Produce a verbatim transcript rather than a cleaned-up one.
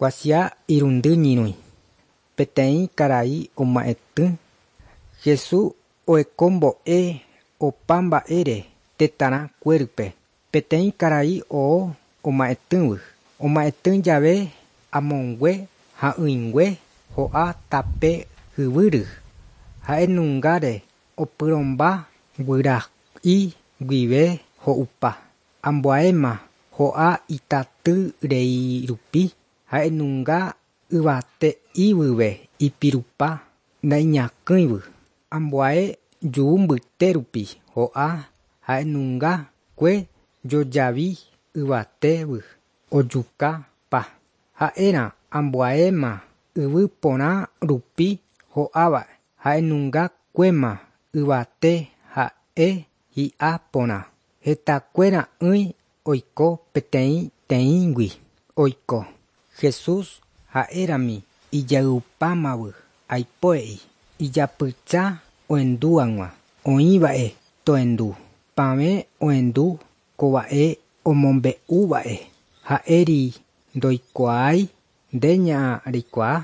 Kuatia irundy ñyrũi. Peteĩ karai oma'ẽtỹ. Jesús ohekombo'e opa mba'ére tetãrã kuérype. Peteĩ karai oo oma'ẽtỹvy. Oma'ẽtỹ jave amongue ha'ỹingue ho'a tape yvýry. Ha'enungáre opyrũmba guyra'i guive ho'upa. Ambuéma ho'a itaty rei rupi ha'enunga yvate'ívyve ipirupa naiñakỹivy. Ambue ju mbyte rupi ho'a ha'enunga kue jojavi yvatévy ojukapa. Ha'érã ambuéma yvy porã rupi ho'áva ha'enunga kuéma yvate ha'e hi'a porã. Hetakue ra'ỹi oiko peteĩteĩgui oiko. Jesús ha'érami ijayvupámavy aipo he'i ijapysa ohendúag̃ua oĩva'e tohendu. Pavẽ ohendu ko mba'e omombe'úva'e ha'éri ndoikuaái nde ña reikuaa.